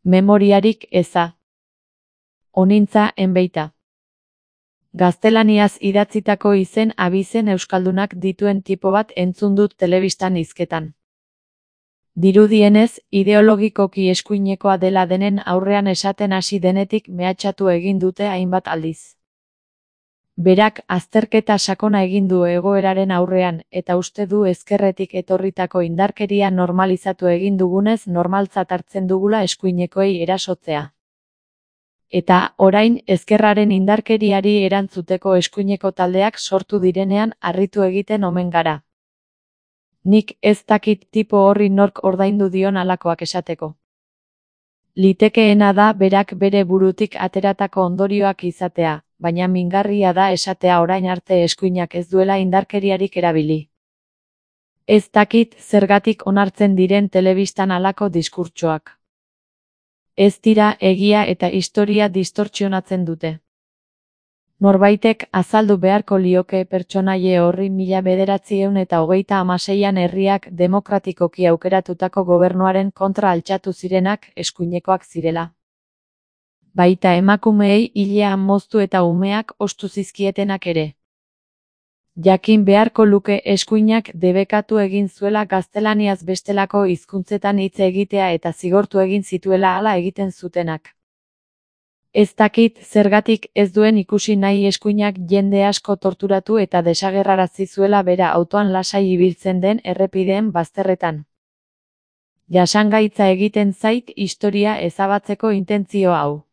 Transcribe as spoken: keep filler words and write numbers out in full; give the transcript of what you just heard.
Memoriarik eza. Onintza enbeita. Gaztelaniaz idatzitako izen abizen euskaldunak dituen tipo bat entzun dut telebistan hizketan. Dirudienez, ideologikoki eskuinekoa dela denen aurrean esaten hasi denetik mehatxatu egin dute hainbat aldiz. Berak azterketa sakona egin du egoeraren aurrean, eta uste du ezkerretik etorritako indarkeria normalizatu egin dugunez normaltzat hartzen dugula eskuinekoei erasotzea. Eta, orain, ezkerraren indarkeriari erantzuteko eskuineko taldeak sortu direnean harritu egiten omen gara. Nik ez dakit tipo horri nork ordaindu dion halakoak esateko. Litekeena da berak bere burutik ateratako ondorioak izatea, baina mingarria da esatea orain arte eskuinak ez duela indarkeriarik erabili. Ez dakit zergatik onartzen diren telebistan halako diskurtsoak. Ez dira egia eta historia distortsionatzen dute. Norbaitek azaldu beharko lioke pertsonaie horri mila bederatziehun eta hogeita hamaseian herriak demokratikoki aukeratutako gobernuaren kontra altxatu zirenak eskuinekoak zirela. Baita emakumeei hilean moztu eta umeak ostu zizkietenak ere. Jakin beharko luke eskuinak debekatu egin zuela gaztelaniaz bestelako hizkuntzetan hitz egitea eta zigortu egin zituela hala egiten zutenak. Ez dakit zergatik ez duen ikusi nahi eskuinak jende asko torturatu eta desagerrarazi zuela bera autoan lasai ibiltzen den errepideen bazterretan. Jasangaitza egiten zait historia ezabatzeko intentzio hau.